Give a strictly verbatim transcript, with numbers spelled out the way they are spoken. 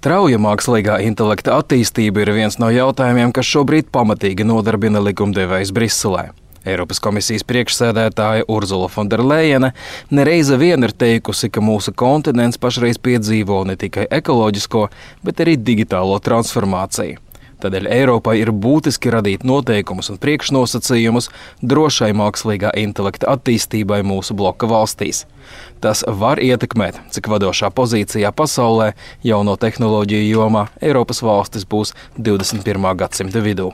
Strauja mākslīgā intelekta attīstība ir viens no jautājumiem, kas šobrīd pamatīgi nodarbina likumdevējs Briselē. Eiropas komisijas priekšsēdētāja Urzula Fonderlejene nereize vien ir teikusi, ka mūsu kontinents pašreiz piedzīvo ne tikai ekoloģisko, bet arī digitālo transformāciju. Tādēļ Eiropai ir būtiski radīt noteikumus un priekšnosacījumus drošai mākslīgā intelekta attīstībai mūsu bloka valstīs. Tas var ietekmēt, cik vadošā pozīcijā pasaulē jauno tehnoloģiju jomā Eiropas valstis būs divdesmit pirmā gadsimta vidū.